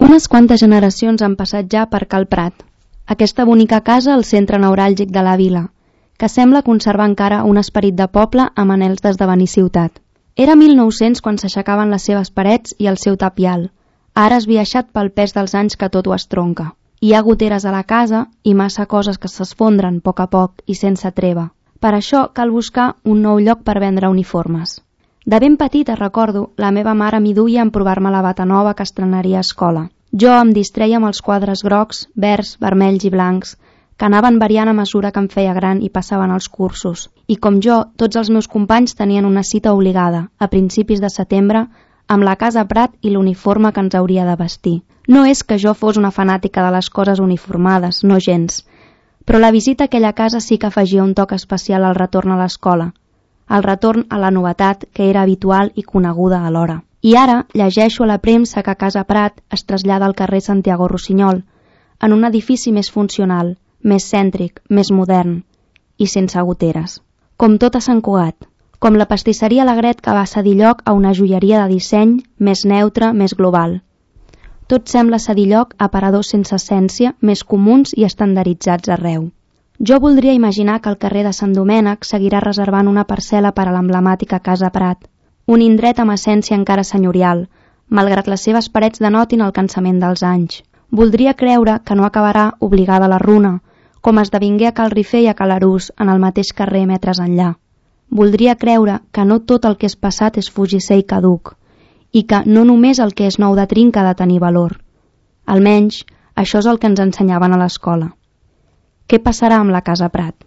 Unes quantes generacions han passat ja per Cal Prat, aquesta bonica casa al centre neuràlgic de la vila, que sembla conservar encara un esperit de poble amb anhels d'esdevenir ciutat. Era 1900 quan s'aixecaven les seves parets i el seu tapial, ara esbiaixat pel pes dels anys que tot ho estronca. Hi ha goteres a la casa i massa coses que s'esfondren a poc i sense treva. Per això cal buscar un nou lloc per vendre uniformes. De ben petita, recordo, la meva mare m'hi duia a provar-me la bata nova que estrenaria a escola. Jo em distreia amb els quadres grocs, verds, vermells i blancs, que anaven variant a mesura que em feia gran i passaven els cursos. I com jo, tots els meus companys tenien una cita obligada, a principis de setembre, amb la casa Prat i l'uniforme que ens hauria de vestir. No és que jo fos una fanàtica de les coses uniformades, no gens, però la visita a aquella casa sí que afegia un toc especial al retorn a l'escola, el retorn a la novetat que era habitual i coneguda alhora. I ara llegeixo a la premsa que Casa Prat es trasllada al carrer Santiago Rossinyol, en un edifici més funcional, més cèntric, més modern i sense goteres. Com tot a Sant Cugat, com la pastisseria Alegret que va cedir lloc a una joieria de disseny més neutre, més global. Tot sembla cedir lloc a aparadors sense essència, més comuns i estandarditzats arreu. Jo voldria imaginar que el carrer de Sant Domènec seguirà reservant una parcel·la per a l'emblemàtica Casa Prat, un indret amb essència encara senyorial, malgrat les seves parets denotin el cansament dels anys. Voldria creure que no acabarà obligada a la runa, com esdevingué a Cal Rifé i a Cal Arús en el mateix carrer metres enllà. Voldria creure que no tot el que és passat és fugisser i caduc, i que no només el que és nou de trinca ha de tenir valor. Almenys, això és el que ens ensenyaven a l'escola. Què passarà amb la Casa Prat?